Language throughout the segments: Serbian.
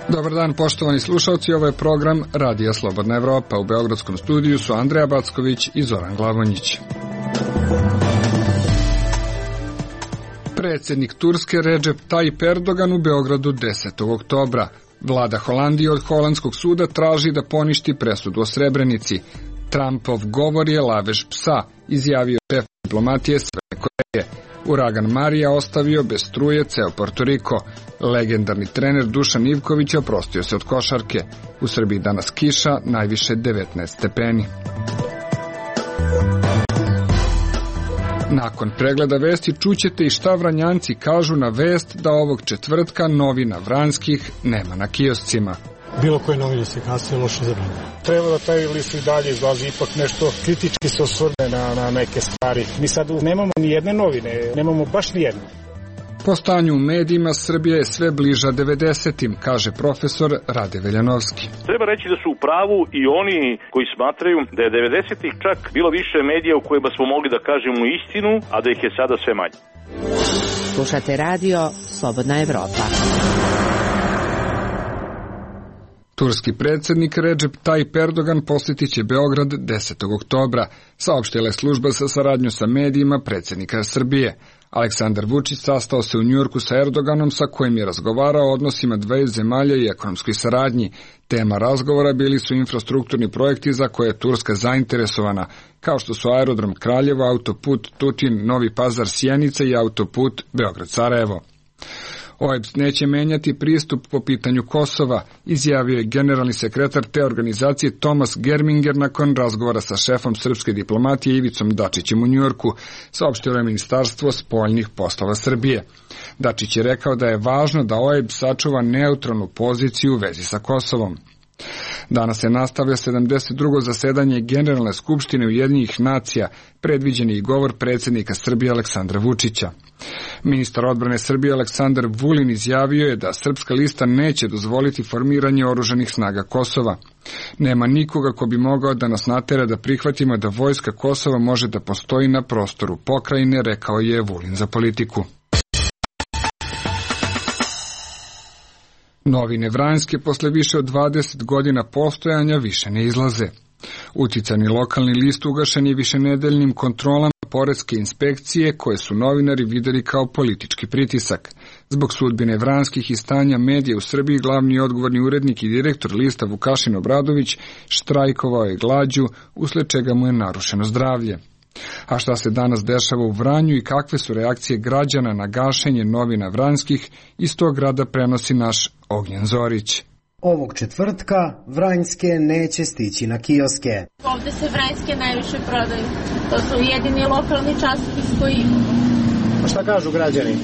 Dobar dan, poštovani slušalci, ovo je program Radija Slobodna Evropa. U beogradskom studiju su Andreja Backović i Zoran Glavonjić. Predsjednik Turske Recep Tayyip Erdogan u Beogradu 10. oktobra. Vlada Holandije od holandskog suda traži da poništi presudu o Srebrenici. Trumpov govor je lavež psa, izjavio šef diplomatije Severne Koreje. Uragan Marija ostavio bez struje ceo Porto Riko. Legendarni trener Dušan Ivković oprostio se od košarke. U Srbiji danas kiša, najviše 19 stepeni. Nakon pregleda vesti čućete i šta Vranjanci kažu na vest da ovog četvrtka novina Vranjskih nema na kioscima. Bilo koje novine se kasnije loše zabranjeno. Treba da taj list i dalje izlazi, ipak nešto kritički se osvrne na neke stvari. Mi sad nemamo ni jedne novine, nemamo baš ni jedne. Po stanju u medijima Srbija je sve bliža 90-im, kaže profesor Rade Veljanovski. Treba reći da su u pravu i oni koji smatraju da je 90-ih čak bilo više medija u kojima smo mogli da kažemo istinu, a da ih je sada sve manje. Slušate radio Slobodna Evropa. Turski predsjednik Recep Tayyip Erdogan posjetit će Beograd 10. oktobra, saopštila je služba sa saradnjom sa medijima predsjednika Srbije. Aleksandar Vučić sastao se u Njujorku sa Erdoganom, sa kojim je razgovarao o odnosima dveju zemalja i ekonomskoj saradnji. Tema razgovora bili su infrastrukturni projekti za koje je Turska zainteresovana, kao što su aerodrom Kraljevo, autoput Tutin, Novi Pazar, Sjenica i autoput Beograd-Sarajevo. OEBS neće menjati pristup po pitanju Kosova, izjavio je generalni sekretar te organizacije Tomas Germinger nakon razgovora sa šefom srpske diplomatije Ivicom Dačićem u Njujorku, saopštilo je Ministarstvo spoljnih poslova Srbije. Dačić je rekao da je važno da OEBS sačuva neutralnu poziciju u vezi sa Kosovom. Danas se nastavlja 72. zasedanje Generalne skupštine Ujedinjenih nacija, predviđen je i govor predsjednika Srbije Aleksandra Vučića. Ministar odbrane Srbije Aleksandar Vulin izjavio je da srpska lista neće dozvoliti formiranje oružanih snaga Kosova. Nema nikoga ko bi mogao da nas natera da prihvatimo da vojska Kosova može da postoji na prostoru pokrajine, rekao je Vulin za Politiku. Novine Vranjske posle više od 20 godina postojanja više ne izlaze. Uticani lokalni list ugašen je višenedeljnim kontrolama poreske inspekcije koje su novinari videli kao politički pritisak. Zbog sudbine Vranjskih i stanja medija u Srbiji glavni odgovorni urednik i direktor lista Vukašin Obradović štrajkovao je glađu, usled čega mu je narušeno zdravlje. A šta se danas dešava u Vranju i kakve su reakcije građana na gašenje novina Vranjskih, iz tog grada prenosi naš Ognjen Zorić. Ovog četvrtka Vranjske neće stići na kioske. Ovde se Vranjske najviše prodaju. To su jedini lokalni časopis koji imamo. A šta kažu građani?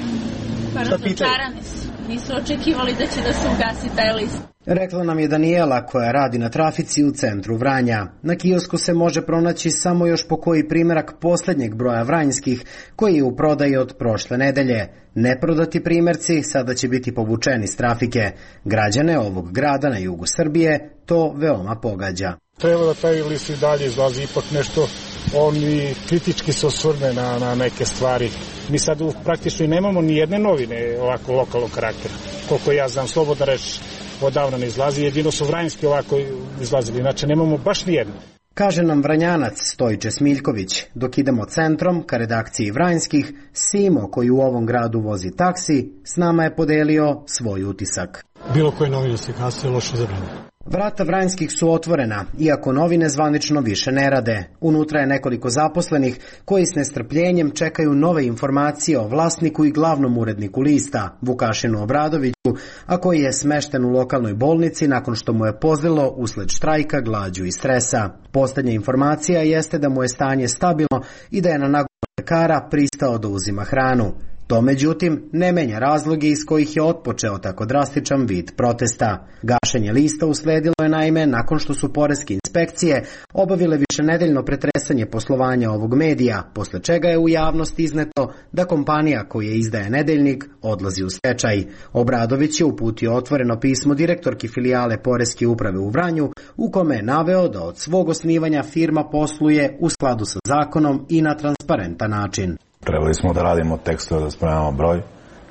Razočarani su. Nisu očekivali da će da se ugasi taj list. Rekla nam je Daniela koja radi na trafici u centru Vranja. Na kiosku se može pronaći samo još po koji primjerak posljednjeg broja Vranjskih koji je u prodaji od prošle nedelje. Neprodati primjerci sada će biti povučeni s trafike. Građane ovog grada na jugu Srbije to veoma pogađa. Treba da taj list i dalje izlazi, ipak nešto oni kritički se osvrne na neke stvari. Mi sad praktično nemamo ni jedne novine ovako lokalnog karaktera. Koliko ja znam, slobodna reč odavno ne izlazi, jedino su Vranjski ovako izlazili, znači nemamo baš ni jedno. Kaže nam Vranjanac Stojiče Smiljković. Dok idemo centrom ka redakciji Vranjskih, Simo koji u ovom gradu vozi taksi, s nama je podelio svoj utisak. Bilo koje novine se kasnije loše zabranjeno. Vrata Vranjskih su otvorena, iako novine zvanično više ne rade. Unutra je nekoliko zaposlenih koji s nestrpljenjem čekaju nove informacije o vlasniku i glavnom uredniku lista, Vukašinu Obradoviću, a koji je smešten u lokalnoj bolnici nakon što mu je pozlilo usled štrajka, glađu i stresa. Posljednja informacija jeste da mu je stanje stabilno i da je na nagovor lekara pristao da uzima hranu. To, međutim, ne menja razloge iz kojih je otpočeo tako drastičan vid protesta. Gašenje lista usledilo je naime nakon što su poreske inspekcije obavile višenedeljno pretresanje poslovanja ovog medija, posle čega je u javnost izneto da kompanija koja izdaje nedeljnik odlazi u stečaj. Obradović je uputio otvoreno pismo direktorki filijale Poreske uprave u Vranju, u kome je naveo da od svog osnivanja firma posluje u skladu sa zakonom i na transparentan način. Trebali smo da radimo tekstove, da spremamo broj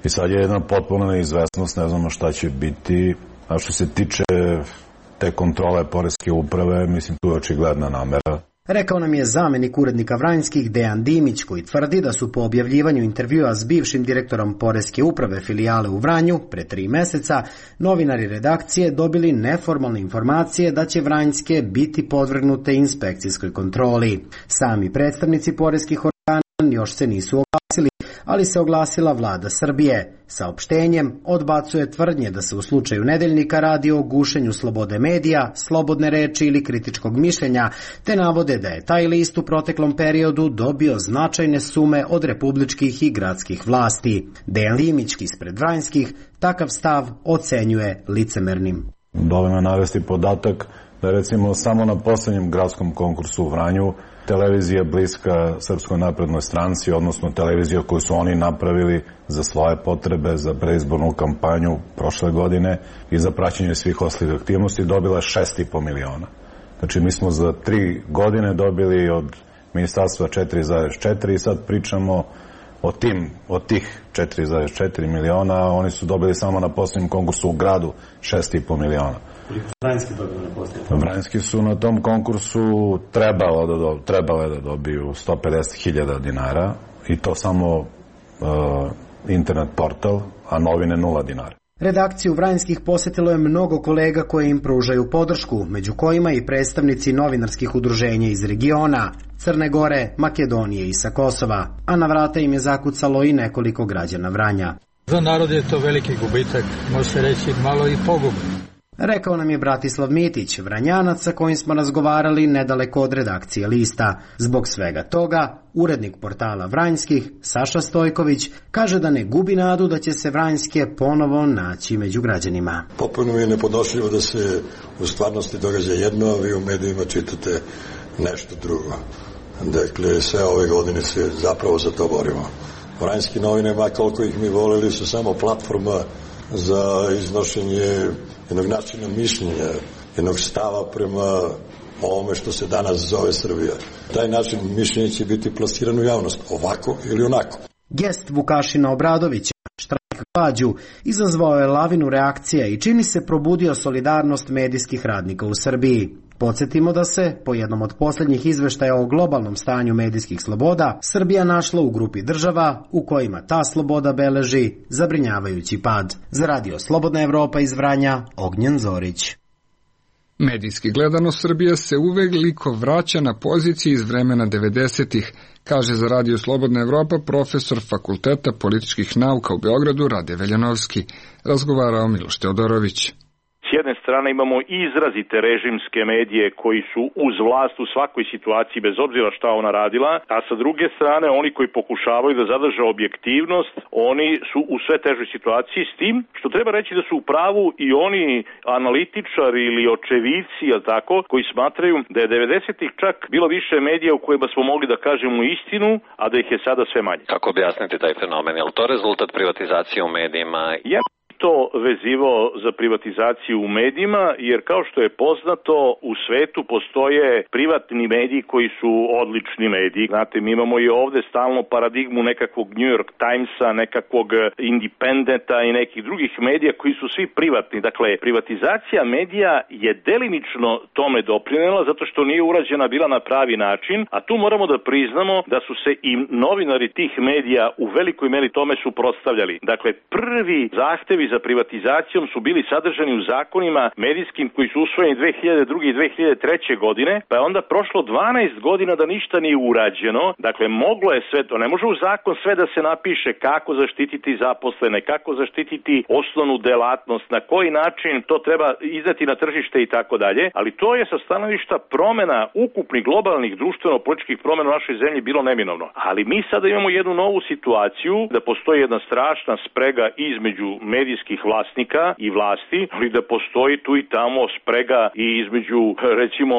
i sad je jedna potpuna neizvesnost, ne znamo šta će biti, A što se tiče te kontrole poreske uprave, mislim tu je očigledna namera. Rekao nam je zamenik urednika Vranjskih Dejan Dimić, koji tvrdi da su po objavljivanju intervjua s bivšim direktorom poreske uprave filijale u Vranju pre 3 meseca novinari redakcije dobili neformalne informacije da će Vranjske biti podvrgnute inspekcijskoj kontroli. Sami predstavnici poreskih organa još se nisu oglasili, ali se oglasila vlada Srbije. Saopštenjem odbacuje tvrdnje da se u slučaju Nedeljnika radi o gušenju slobode medija, slobodne reči ili kritičkog mišljenja, te navode da je taj list u proteklom periodu dobio značajne sume od republičkih i gradskih vlasti. Dejan Limić ispred Vranjskih takav stav ocenjuje licemernim. Dovoljno navesti podatak da recimo samo na poslednjem gradskom konkursu u Vranju televizija bliska Srpskoj naprednoj stranci, odnosno televizija koju su oni napravili za svoje potrebe, za preizbornu kampanju prošle godine i za praćenje svih ostalih aktivnosti, dobila 6,5 miliona. Znači mi smo za 3 godine dobili od ministarstva 4,4 i sad pričamo o tih 4,4 miliona, a oni su dobili samo na poslednjem konkursu u gradu 6,5 miliona. Vranjski dobili na poslednjem? Vranjski su na tom konkursu trebale da dobiju 150.000 dinara i to samo internet portal, a novine 0 dinara. Redakciju Vranjskih posetilo je mnogo kolega koji im pružaju podršku, među kojima i predstavnici novinarskih udruženja iz regiona, Crne Gore, Makedonije i sa Kosova, a na vrata im je zakucalo i nekoliko građana Vranja. Za narod je to veliki gubitak, može se reći malo i pogub. Rekao nam je Bratislav Mitić, Vranjanac sa kojim smo razgovarali nedaleko od redakcije lista. Zbog svega toga, urednik portala Vranjskih, Saša Stojković, kaže da ne gubi nadu da će se Vranjske ponovo naći među građanima. Potpuno je nepodnošljivo da se u stvarnosti događa jedno, a vi u medijima čitate nešto drugo. Dakle, sve ove godine se zapravo za to borimo. Vranjski novine, ma koliko ih mi voleli, su samo platforma za iznošenje jednog načina mišljenja, jednog stava prema ovome što se danas zove Srbija. Taj način mišljenja će biti plasiran u javnost, ovako ili onako. Gest Vukašina Obradovića, štrajk glađu, izazvao je lavinu reakcija i čini se probudio solidarnost medijskih radnika u Srbiji. Podsjetimo da se, po jednom od posljednjih izveštaja o globalnom stanju medijskih sloboda, Srbija našla u grupi država u kojima ta sloboda beleži zabrinjavajući pad. Za radio Slobodna Evropa iz Vranja, Ognjen Zorić. Medijski gledano, Srbija se uveliko vraća na poziciji iz vremena 90-ih, kaže za radio Slobodna Evropa profesor Fakulteta političkih nauka u Beogradu Rade Veljanovski. Razgovarao Miloš Teodorović. S jedne strane imamo izrazite režimske medije koji su uz vlast u svakoj situaciji bez obzira šta ona radila, a sa druge strane oni koji pokušavaju da zadrže objektivnost, oni su u sve težoj situaciji, s tim što treba reći da su u pravu i oni analitičari ili očevici, tako, koji smatraju da je 90-ih čak bilo više medija u kojima smo mogli da kažemo istinu, a da ih je sada sve manje. Kako objasniti taj fenomen? Je li to rezultat privatizacije u medijima? To vezivao za privatizaciju u medijima, jer kao što je poznato, u svetu postoje privatni mediji koji su odlični mediji. Znate, mi imamo i ovde stalno paradigmu nekakvog New York Timesa, nekakvog Independenta i nekih drugih medija koji su svi privatni. Dakle, privatizacija medija je delimično tome doprinela zato što nije urađena bila na pravi način, a tu moramo da priznamo da su se i novinari tih medija u velikoj meri tome suprotstavljali. Dakle, prvi zahtevi za privatizacijom su bili sadržani u zakonima medijskim koji su usvojeni 2002. i 2003. godine, pa je onda prošlo 12 godina da ništa nije urađeno. Dakle, moglo je sve to, ne može u zakon sve da se napiše kako zaštititi zaposlene, kako zaštititi osnovnu delatnost, na koji način to treba izdati na tržište i tako dalje, ali to je sa stanovišta promena ukupnih globalnih društveno-političkih promena u našoj zemlji bilo neminovno. Ali mi sada imamo jednu novu situaciju da postoji jedna strašna sprega između medijskih vlasnika i vlasti, ali da postoji tu i tamo sprega i između, recimo,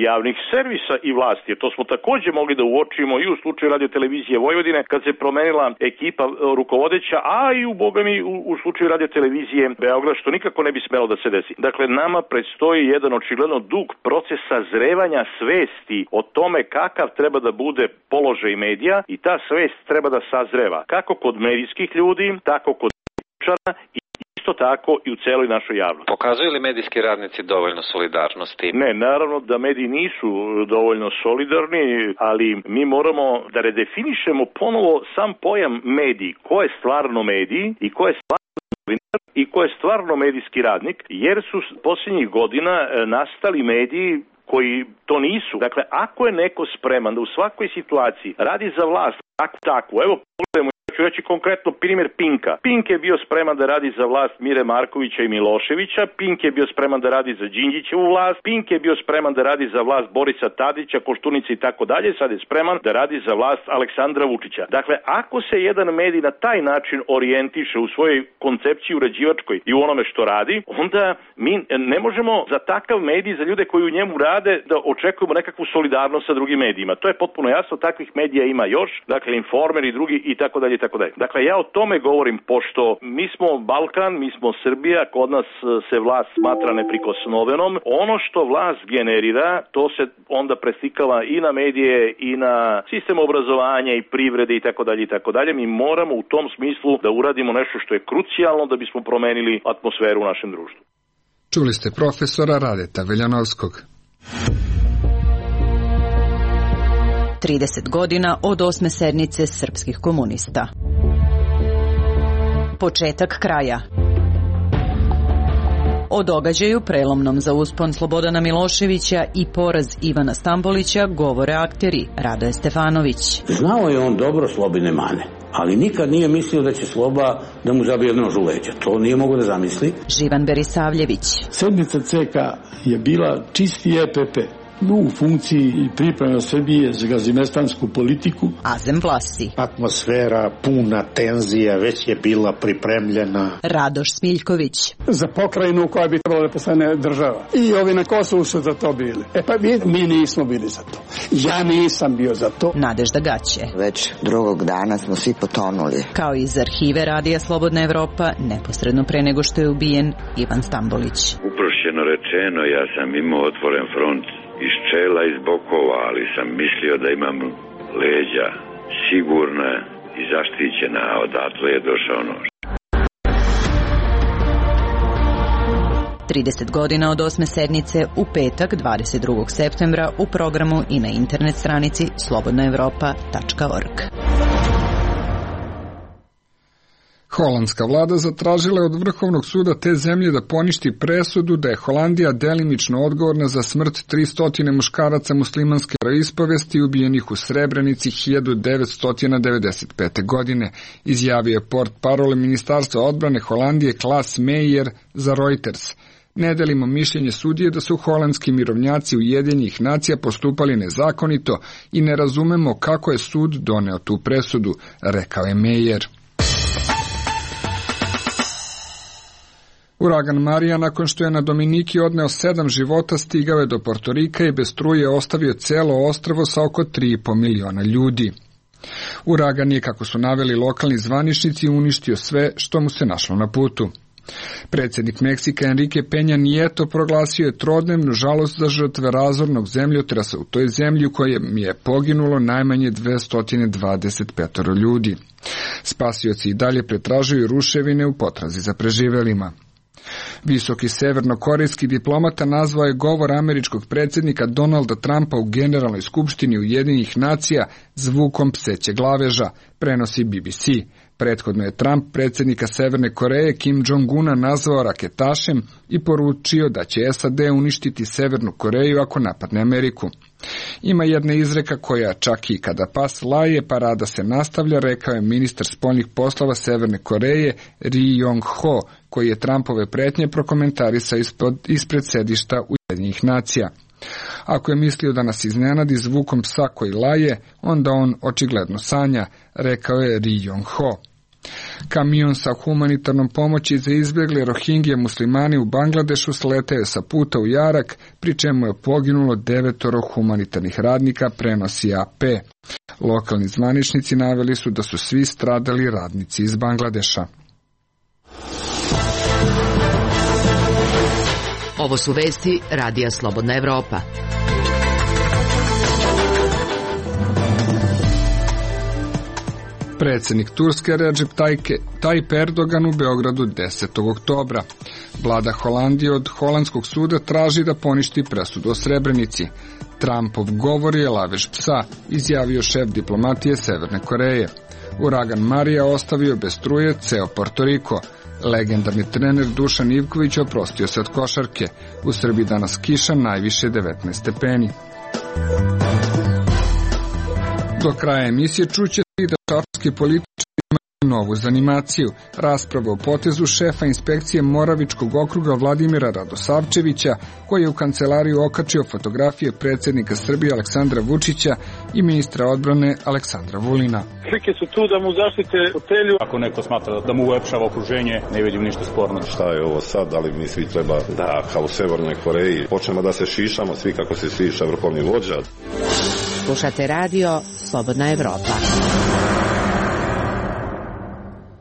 javnih servisa i vlasti. To smo takođe mogli da uočimo i u slučaju Radio-televizije Vojvodine, kad se promenila ekipa rukovodeća, a i u bogami u slučaju Radio-televizije Beograd, što nikako ne bi smelo da se desi. Dakle, nama predstoji jedan očigledno dug proces sazrevanja svesti o tome kakav treba da bude položaj medija i ta svest treba da sazreva kako kod medijskih ljudi, tako kod i isto tako i u celoj našoj javnosti. Pokazuju li medijski radnici dovoljno solidarnosti? Ne, naravno da mediji nisu dovoljno solidarni, ali mi moramo da redefinišemo ponovo sam pojam mediji. Ko je stvarno mediji i ko je stvarno novinar i ko je stvarno medijski radnik, jer su posljednjih godina nastali mediji koji to nisu. Dakle, ako je neko spreman da u svakoj situaciji radi za vlast, tako, evo pogledajmo, ću reći konkretno primjer Pinka. Pink je bio spreman da radi za vlast Mire Markovića i Miloševića, Pink je bio spreman da radi za Đinđićevu vlast, Pink je bio spreman da radi za vlast Borisa Tadića, Koštunice i tako dalje, sad je spreman da radi za vlast Aleksandra Vučića. Dakle, ako se jedan medij na taj način orijentiše u svojoj koncepciji uređivačkoj i u onome što radi, onda mi ne možemo za takav medij, za ljude koji u njemu rade, da očekujemo nekakvu solidarnost sa drugim medijima. To je potpuno jasno, takvih medija ima još, dakle Informer i drugi i tako dalje. Dakle, ja o tome govorim, pošto mi smo Balkan, mi smo Srbija, kod nas se vlast smatra neprikosnovenom. Ono što vlast generira, to se onda preslikava i na medije i na sistem obrazovanja i privrede i tako dalje. Mi moramo u tom smislu da uradimo nešto što je krucijalno da bismo promenili atmosferu u našem društvu. Čuli ste profesora Radeta Veljanovskog. 30 godina od 8. sednice srpskih komunista. Početak kraja. O događaju prelomnom za uspon Slobodana Miloševića i poraz Ivana Stambolića govore akteri Radoje Stefanović. Znao je on dobro Slobine mane, ali nikad nije mislio da će Sloba da mu zabije nož u leđa. To nije mogo da zamisli. Živan Berisavljević. Sedmica CK je bila čisti EPP. U funkciji i priprema Srbije za gazimestansku politiku. Azem Vlasi. Atmosfera puna tenzija već je bila pripremljena. Radoš Smiljković. Za pokrajinu koja bi trebala da postane država. I ovi na Kosovu su za to bili. Pa mi nismo bili za to. Ja nisam bio za to. Nadežda Gaće. Već drugog dana smo svi potonuli. Kao iz arhive Radija Slobodna Evropa, neposredno pre nego što je ubijen Ivan Stambolić. Uprošćeno rečeno, ja sam imao otvoren front iz čela, iz bokova, ali sam mislio da imam leđa sigurna i zaštićena, a odatle je došao nož. 30 godina od 8. sednice u petak 22. septembra u programu i na internet stranici slobodnaevropa.org. Holandska vlada zatražila od Vrhovnog suda te zemlje da poništi presudu da je Holandija delimično odgovorna za smrt 300 muškaraca muslimanske ispovesti ubijenih u Srebrenici 1995. godine, izjavio je portparol Ministarstva odbrane Holandije Klaas Meijer za Reuters. Ne delimo mišljenje sudije da su holandski mirovnjaci Ujedinjenih nacija postupali nezakonito i ne razumemo kako je sud doneo tu presudu, rekao je Meijer. Uragan Marija, nakon što je na Dominiki odneo 7 života, stigao je do Portorika i bez struje ostavio celo ostrvo sa oko 3,5 miliona ljudi. Uragan je, kako su naveli lokalni zvaničnici, uništio sve što mu se našlo na putu. Predsjednik Meksika Enrique Peña Nieto proglasio je trodnevnu žalost za žrtve razornog zemljotresa u toj zemlji u kojem je poginulo najmanje 225 ljudi. Spasioci i dalje pretražuju ruševine u potrazi za preživelima. Visoki severnokorejski diplomata nazvao je govor američkog predsjednika Donalda Trumpa u Generalnoj skupštini Ujedinjenih nacija zvukom pseće glaveža, prenosi BBC. Prethodno je Trump predsjednika Severne Koreje Kim Jong-una nazvao raketašem i poručio da će SAD uništiti Severnu Koreju ako napadne Ameriku. Ima jedna izreka koja čak i kada pas laje, parada se nastavlja, rekao je ministar spoljnih poslova Severne Koreje Ri Yong-ho, koji je Trumpove pretnje prokomentarisao ispred sedišta Ujedinjenih nacija. Ako je mislio da nas iznenadi zvukom psa koji laje, onda on očigledno sanja, rekao je Ri Yong-ho. Kamion sa humanitarnom pomoći za izbjegle Rohingje muslimani u Bangladešu sletao je sa puta u jarak, pri čemu je poginulo 9 humanitarnih radnika, prenosi AP. Lokalni zvaničnici naveli su da su svi stradali radnici iz Bangladeša. Ovo su vesti Radija Slobodna Evropa. Predsjednik Turske Recep Tayyip Erdogan u Beogradu 10. oktobra. Vlada Holandije od holandskog suda traži da poništi presudu o Srebrenici. Trumpov govor je lavež psa, izjavio šef diplomatije Severne Koreje. Uragan Marija ostavio bez struje ceo Porto Riko. Legendarni trener Dušan Ivković oprostio se od košarke. U Srbiji danas kiša, najviše 19 stepeni. Do kraja emisije čuće da šapski političari imaju novu zanimaciju. Rasprava o potezu šefa inspekcije Moravičkog okruga Vladimira Radosavčevića, koji je u kancelariju okačio fotografije predsjednika Srbije Aleksandra Vučića i ministra odbrane Aleksandra Vulina. Slike su tu da mu zaštite fotelju. Ako neko smatra da mu ulepšava okruženje, ne vidim ništa sporno. Šta je ovo sad? Da li mi svi treba da, kao u Severnoj Koreji, počnemo da se šišamo svi kako se šiša vrhovni vođa? Slušate radio Slobodna Evropa.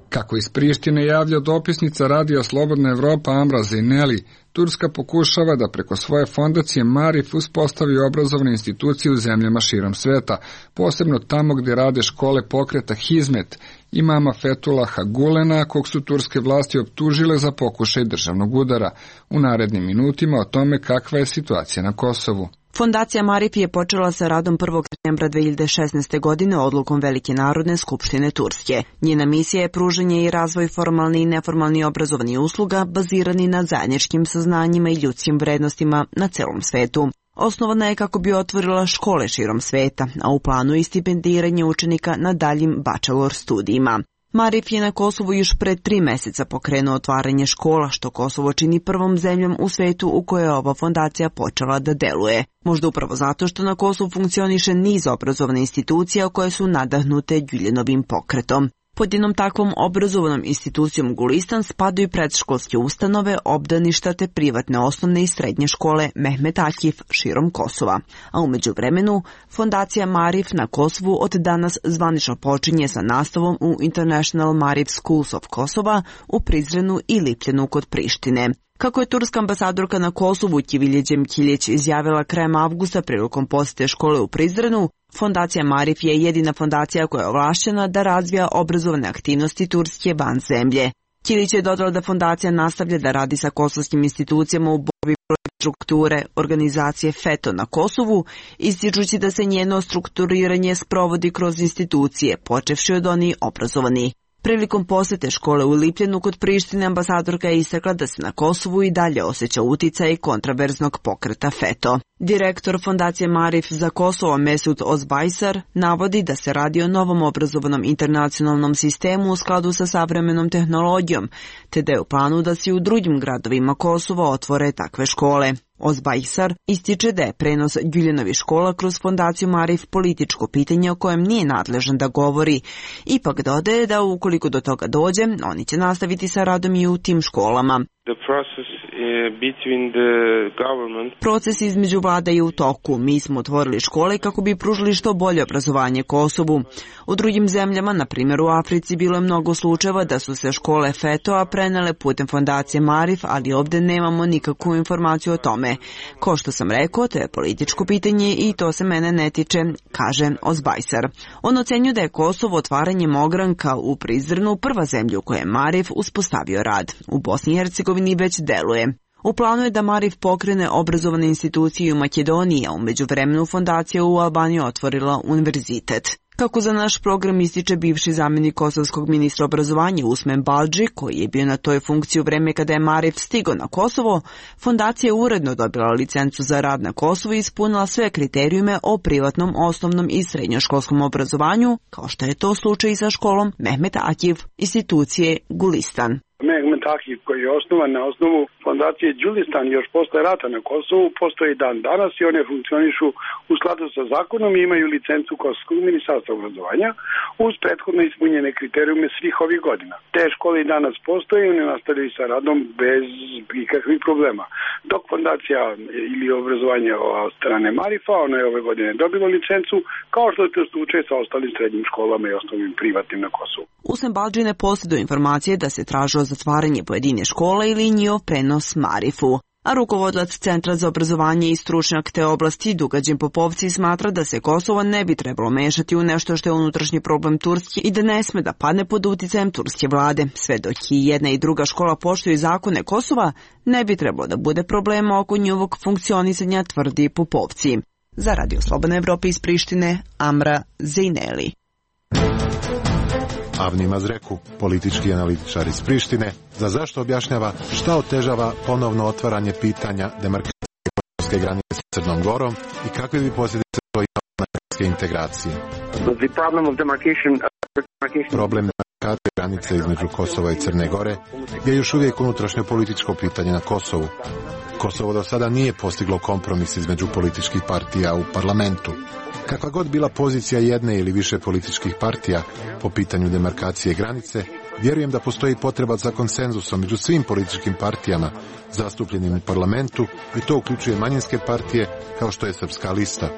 Kako iz Prištine javlja dopisnica radija Slobodna Evropa Amra Zeyneli, Turska pokušava da preko svoje fondacije Marif uspostavi obrazovne institucije u zemljama širom sveta, posebno tamo gdje rade škole pokreta Hizmet imama Fethullaha Gulena, kog su turske vlasti optužile za pokušaj državnog udara. U narednim minutima o tome kakva je situacija na Kosovu. Fondacija Marif je počela sa radom 1. septembra 2016. godine odlukom Velike narodne skupštine Turske. Njena misija je pružanje i razvoj formalni i neformalni obrazovnih usluga bazirani na zajedničkim saznanjima i ljudskim vrednostima na celom svetu. Osnovana je kako bi otvorila škole širom sveta, a u planu je stipendiranje učenika na daljim bachelor studijima. Marif je na Kosovu još pre 3 meseca pokrenuo otvaranje škola, što Kosovo čini prvom zemljom u svetu u kojoj je ova fondacija počela da deluje. Možda upravo zato što na Kosovu funkcioniše niz obrazovne institucija koje su nadahnute Güljenovim pokretom. Pod jednom takvom obrazovnom institucijom Gulistan spadaju predškolske ustanove, obdaništa te privatne osnovne i srednje škole Mehmet Akif širom Kosova. A umeđu vremenu, fondacija Marif na Kosovu od danas zvanično počinje sa nastavom u International Marif Schools of Kosova u Prizrenu i Lipljanu kod Prištine. Kako je turska ambasadorka na Kosovu Kivilje Đemkilić izjavila krajem avgusta prilikom posete škole u Prizrenu, fondacija Marif je jedina fondacija koja je ovlašćena da razvija obrazovne aktivnosti Turske van zemlje. Kilić je dodala da fondacija nastavlja da radi sa kosovskim institucijama u borbi protiv strukture organizacije FETO na Kosovu, ističući da se njeno strukturiranje sprovodi kroz institucije, počevši od onih obrazovani. Prilikom posete škole u Lipljanu kod Prištine ambasadorka je istakla da se na Kosovu i dalje osjeća uticaj kontraverznog pokreta FETO. Direktor fondacije Marif za Kosovo Mesut Ozbajsar navodi da se radi o novom obrazovnom internacionalnom sistemu u skladu sa savremenom tehnologijom, te da je u planu da se u drugim gradovima Kosova otvore takve škole. Ozbajsar ističe da je prenos Güljenovih škola kroz fondaciju Marif političko pitanje o kojem nije nadležan da govori. Ipak dodaje da ukoliko do toga dođe, oni će nastaviti sa radom i u tim školama. Proces između vlada je u toku. Mi smo otvorili škole kako bi pružili što bolje obrazovanje Kosovu. U drugim zemljama, na primjer u Africi, bilo je mnogo slučajeva da su se škole FETO-a prenele putem fondacije Marif, ali ovdje nemamo nikakvu informaciju o tome. Ko što sam rekao, to je političko pitanje i to se mene ne tiče, kaže Ozbajsar. On ocenjuje da je Kosovo otvaranjem ogranka u Prizrenu prva zemlja u kojoj je Marif uspostavio rad. U Bosni i Hercegovini već deluje. U planu je da Marif pokrene obrazovane institucije u Makedoniji, a u međuvremenu fondacija u Albaniji otvorila univerzitet. Kako za naš program ističe bivši zamjenik kosovskog ministra obrazovanja Usmen Baldži, koji je bio na toj funkciji u vreme kada je Marif stigao na Kosovo, fondacija je uredno dobila licencu za rad na Kosovu i ispunila sve kriterijume o privatnom, osnovnom i srednjoškolskom obrazovanju, kao što je to slučaj i sa školom Mehmet Akif institucije Gulistan. Mehmet Akif, koji je osnovan na osnovu fondacije Gulistan još posle rata na Kosovu, postoji dan danas i one funkcionišu u skladu sa zakonom i imaju licencu Kosovskog ministarstva obrazovanja uz prethodno ispunjene kriterijume svih ovih godina. Te škole i danas postoje i one nastavljaju sa radom bez ikakvih problema. Dok fondacija ili obrazovanje od strane Marifa, ona je ove godine dobila licencu, kao što je to slučaj sa ostalim srednjim školama i osnovnim privatnim na Kosovu. Usmen Baldži ne posjeduje informacije da se tražilo zatvaranje pojedine škole ili njihov prenos Marifu. A rukovodilac Centra za obrazovanje i stručnjak te oblasti Dugađen Popovci smatra da se Kosovo ne bi trebalo mešati u nešto što je unutrašnji problem Turske i da ne sme da padne pod uticajem turske vlade. Sve dok i jedna i druga škola poštuju zakone Kosova, ne bi trebalo da bude problema oko njihovog funkcionisanja, tvrdi Popovci. Za Radio Slobodna Evropa iz Prištine, Amra Zejneli. Avni Mazreku, politički analitičar iz Prištine, za zašto objašnjava šta otežava ponovno otvaranje pitanja demarkacijske granice s Crnom Gorom i kakve bi posljedice to imalo na evropske integracije. Problem demarkacije granice između Kosova i Crne Gore je još uvijek unutrašnje političko pitanje na Kosovu. Kosovo do sada nije postiglo kompromis između političkih partija u parlamentu. Kakva god bila pozicija jedne ili više političkih partija po pitanju demarkacije granice, vjerujem da postoji potreba za konsenzusom među svim političkim partijama zastupljenim u parlamentu i to uključuje manjinske partije kao što je Srpska lista.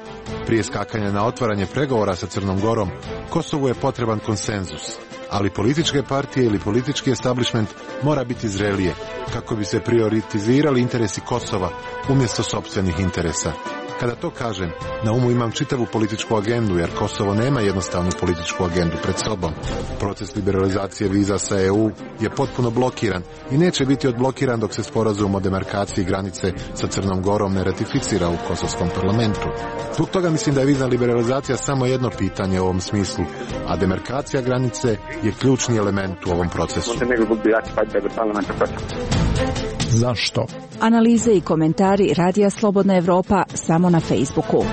Prije skakanja na otvaranje pregovora sa Crnom Gorom, Kosovu je potreban konsenzus, ali političke partije ili politički establishment mora biti zrelije kako bi se prioritizirali interesi Kosova umjesto sopstvenih interesa. Kada to kažem, na umu imam čitavu političku agendu, jer Kosovo nema jednostavnu političku agendu pred sobom. Proces liberalizacije viza sa EU je potpuno blokiran i neće biti odblokiran dok se sporazum o demarkaciji granice sa Crnom Gorom ne ratificira u kosovskom parlamentu. Zbog toga mislim da je vizna liberalizacija samo jedno pitanje u ovom smislu, a demarkacija granice je ključni element u ovom procesu. Zašto? Analize i komentari Radija Slobodna Evropa samo na Facebooku.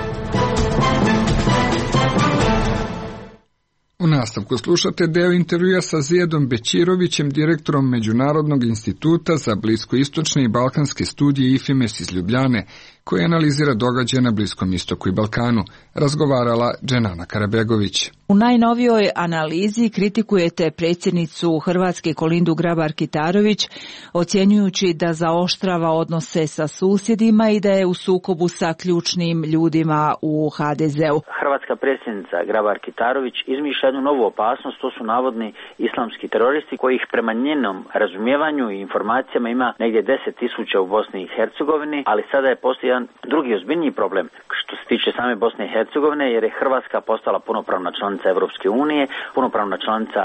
U nastavku slušate deo intervjua sa Zijadom Bećirovićem, direktorom Međunarodnog instituta za bliskoistočne i balkanske studije IFIMES iz Ljubljane, koji analizira događaje na Bliskom istoku i Balkanu, razgovarala Dženana Karabegović. U najnovijoj analizi kritikujete predsjednicu Hrvatske Kolindu Grabar-Kitarović, ocjenjujući da zaoštrava odnose sa susjedima i da je u sukobu sa ključnim ljudima u HDZ-u. Hrvatska predsjednica Grabar-Kitarović izmišlja jednu novu opasnost, to su navodni islamski teroristi kojih prema njenom razumijevanju i informacijama ima negdje 10.000 u Bosni i Hercegovini, ali sada je postoji jedan drugi ozbiljniji problem što se tiče same Bosne i Hercegovine, jer je Hrvatska postala punopravna članica Evropske unije, punopravna članica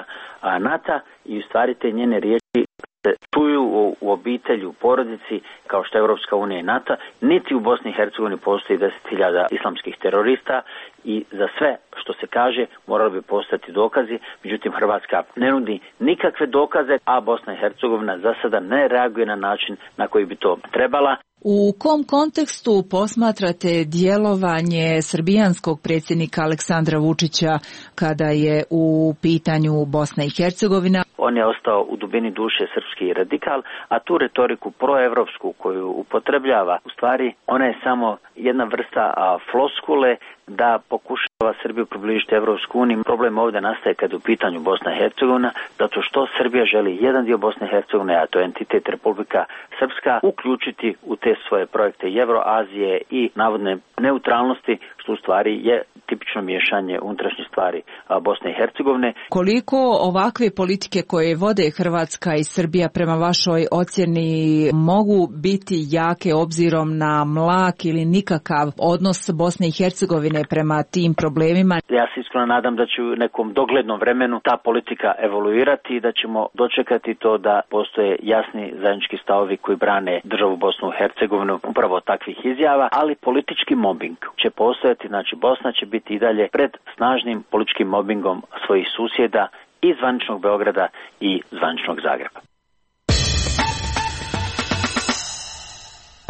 NATO i u stvari te njene riječi se čuju u obitelji, u porodici, kao što je Evropska unija i NATO, niti u Bosni i Hercegovini postoji 10.000 islamskih terorista i za sve što se kaže morali bi postati dokazi, međutim Hrvatska ne nudi nikakve dokaze, a Bosna i Hercegovina za sada ne reaguje na način na koji bi to trebala. U kom kontekstu posmatrate djelovanje srbijanskog predsjednika Aleksandra Vučića kada je u pitanju Bosna i Hercegovina? On je ostao u dubini duše srpski radikal, a tu retoriku proevropsku koju upotrebljava, u stvari ona je samo jedna vrsta floskule da pokušava Srbiju približiti Evropsku uniju. Problem ovdje nastaje kad je u pitanju Bosna i Hercegovina, zato što Srbija želi jedan dio Bosne i Hercegovine, a to je entitet Republika Srpska, uključiti u te svoje projekte i Evroazije i navodne neutralnosti, što u stvari je tipično miješanje unutrašnje stvari Bosne i Hercegovine. Koliko ovakve politike koje vode Hrvatska i Srbija prema vašoj ocjeni mogu biti jake obzirom na mlak ili nikakav odnos Bosne i Hercegovine prema tim problemima? Ja se iskreno nadam da će u nekom doglednom vremenu ta politika evoluirati i da ćemo dočekati to da postoje jasni zajednički stavovi koji brane državu Bosnu i Hercegovinu upravo takvih izjava, ali politički mobbing će postojati, znači Bosna će biti i dalje pred snažnim političkim mobbingom svojih susjeda i zvaničnog Beograda i zvaničnog Zagreba.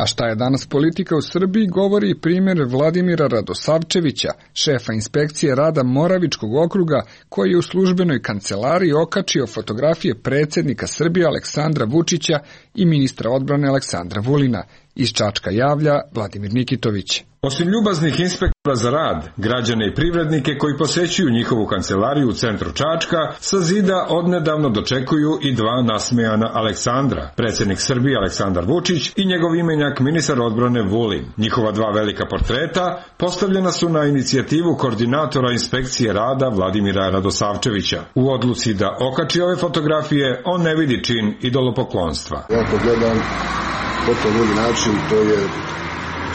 A šta je danas politika u Srbiji, govori i primjer Vladimira Radosavčevića, šefa inspekcije rada Moravičkog okruga, koji je u službenoj kancelariji okačio fotografije predsjednika Srbije Aleksandra Vučića i ministra odbrane Aleksandra Vulina. Iz Čačka javlja Vladimir Nikitović. Osim ljubaznih inspektora za rad, građane i privrednike koji posećuju njihovu kancelariju u centru Čačka, sa zida odnedavno dočekuju i dva nasmejana Aleksandra, predsjednik Srbije Aleksandar Vučić i njegov imenjak ministar odbrane Vulin. Njihova dva velika portreta postavljena su na inicijativu koordinatora inspekcije rada Vladimira Radosavčevića. U odluci da okači ove fotografije, on ne vidi čin idolopoklonstva. Ja to gledam potpuno drugi način, to je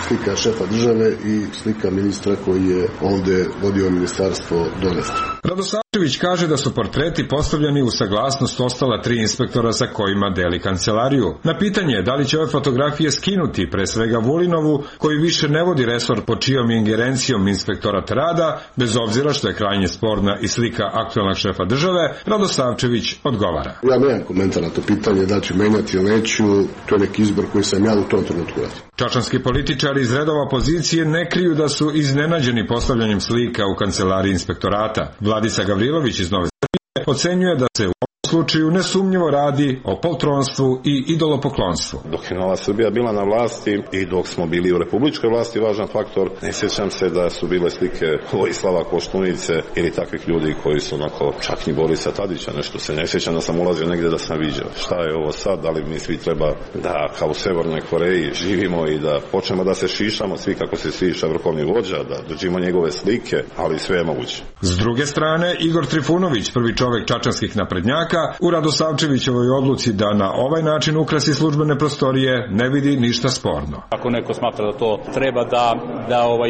slika šefa države i slika ministra koji je ovde vodio ministarstvo do nefta. Radosavčević kaže da su portreti postavljeni u saglasnost ostala 3 inspektora sa kojima deli kancelariju. Na pitanje da li će ove fotografije skinuti, pre svega Vulinovu, koji više ne vodi resor pod čijom ingerencijom inspektorat rada, bez obzira što je krajnje sporna i slika aktuelnog šefa države, Radosavčević odgovara. Ja nemam komentar na to pitanje, da ću menjati ili neću, to je neki izbor koji sam ja u tom trenutku radio. Čačanski političari iz redova opozicije ne kriju da su iznenađeni postavljanjem slika u kancelariji inspektorata. Vladica Gavrilović iz Nove Srbije ocenjuje da se u slučaju nesumnjivo radi o poltronstvu i idolopoklonstvu. Dok je Nova Srbija bila na vlasti i dok smo bili u republičkoj vlasti, važan faktor, ne sjećam se da su bile slike Vojislava Koštunice ili takvih ljudi koji su onako, čak ni Borisa Tadića, nešto se ne sjećam da sam ulazio negdje da sam viđao. Šta je ovo sad, da li mi svi treba da kao u Severnoj Koreji živimo i da počnemo da se šišamo, svi kako se šiša vrhovni vođa, da dođimo njegove slike, ali sve je moguće. S druge strane, Igor Trifunović, prvi čovek čačanskih naprednjaka, u Radosavčevićevoj odluci da na ovaj način ukrasi službene prostorije ne vidi ništa sporno. Ako neko smatra da to treba da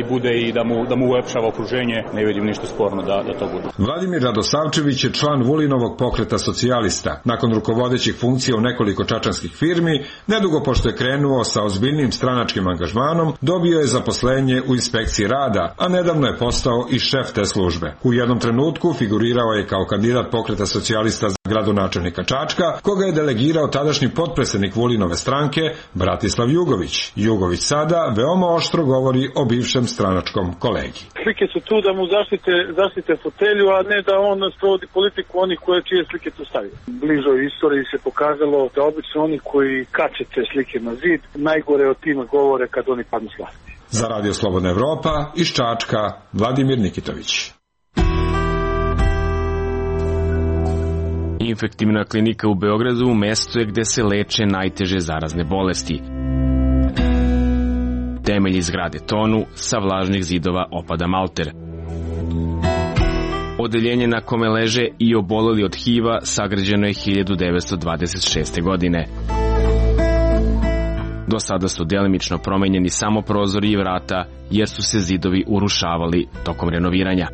bude i da mu ulepšava okruženje, ne vidim ništa sporno da to bude. Vladimir Radosavčević je član Vulinovog pokreta socijalista. Nakon rukovodećih funkcija u nekoliko čačanskih firmi, nedugo pošto je krenuo sa ozbiljnim stranačkim angažmanom, dobio je zaposlenje u inspekciji rada, a nedavno je postao i šef te službe. U jednom trenutku figurirao je kao kandidat pokreta socijalista za gradonačelnika Čačka, koga je delegirao tadašnji potpredsednik Vulinove stranke Bratislav Jugović. Jugović sada veoma oštro govori o bivšem stranačkom kolegi. Slike su tu da mu zaštite fotelju, a ne da on sprovodi politiku onih čije slike tu stavio. Bližoj istoriji se pokazalo da obično oni koji kače te slike na zid, najgore o tim govore kad oni padnu s vlasti. Za Radio Slobodna Evropa iz Čačka, Vladimir Nikitović. Infektivna klinika u Beogradu mesto je gde se leče najteže zarazne bolesti. Temelji zgrade tonu, sa vlažnih zidova opada malter. Odeljenje na kome leže i oboleli od HIV-a sagrađeno je 1926. godine. Do sada su delimično promenjeni samo prozori i vrata, jer su se zidovi urušavali tokom renoviranja.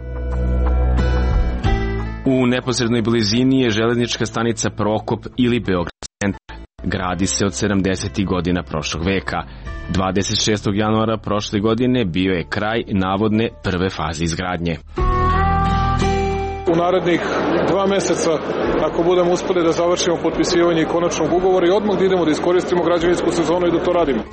U neposrednoj blizini je železnička stanica Prokop ili Beograd centar. Gradi se od 70. godina prošlog veka. 26. januara prošle godine bio je kraj navodne prve faze izgradnje. U narednih 2 meseca, ako budemo uspeli da završimo potpisivanje konačnog ugovora i odmah da idemo da iskoristimo građevinsku sezonu i da to radimo.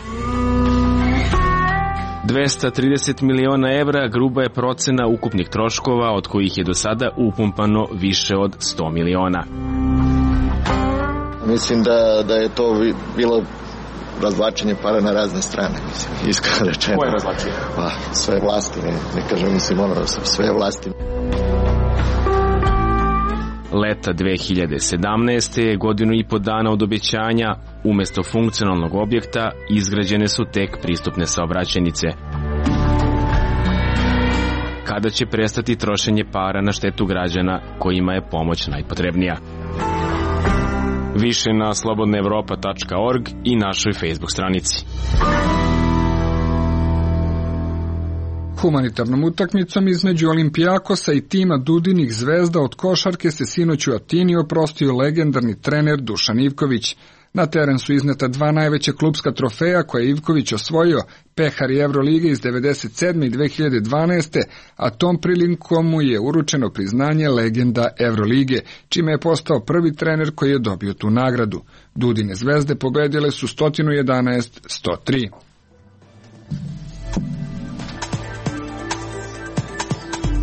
230 miliona evra gruba je procena ukupnih troškova, od kojih je do sada upumpano više od 100 miliona. Mislim da je to bilo razvlačenje para na razne strane, mislim, iskreno rečeno. Koje razvlačenje? Sve vlasti, ne kažem, mislim, sve vlasti. Leta 2017. godinu i po dana od obećanja, umesto funkcionalnog objekta, izgrađene su tek pristupne saobraćajnice. Kada će prestati trošenje para na štetu građana kojima je pomoć najpotrebnija? Više na slobodnaevropa.org i našoj Facebook stranici. Humanitarnom utakmicom između Olimpijakosa i tima Dudinih zvezda od košarke se sinoć u Atini oprostio legendarni trener Dušan Ivković. Na teren su izneta 2 najveća klupska trofeja koje je Ivković osvojio, pehar i Evrolige iz 1997. i 2012. a tom prilikom mu je uručeno priznanje legenda Evrolige, čime je postao prvi trener koji je dobio tu nagradu. Dudine zvezde pobedile su 111-103.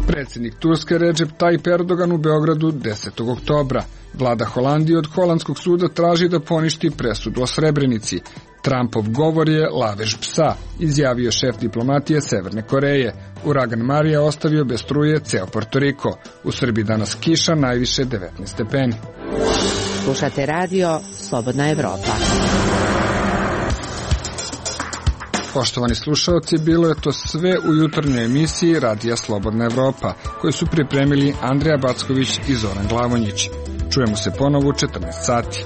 Predsjednik Turske Recep Tayyip Erdogan u Beogradu 10. oktobra. Vlada Holandije od holandskog suda traži da poništi presudu o Srebrenici. Trumpov govor je lavež psa, izjavio šef diplomatije Severne Koreje. Uragan Marija ostavio bez struje ceo Porto Riko. U Srbiji danas kiša, najviše 19 stepeni. Slušate radio Slobodna Evropa. Poštovani slušalci, bilo je to sve u jutarnjoj emisiji Radija Slobodna Evropa, koju su pripremili Andrija Backović i Zoran Glavonjić. Čujemo se ponovo u 14 sati.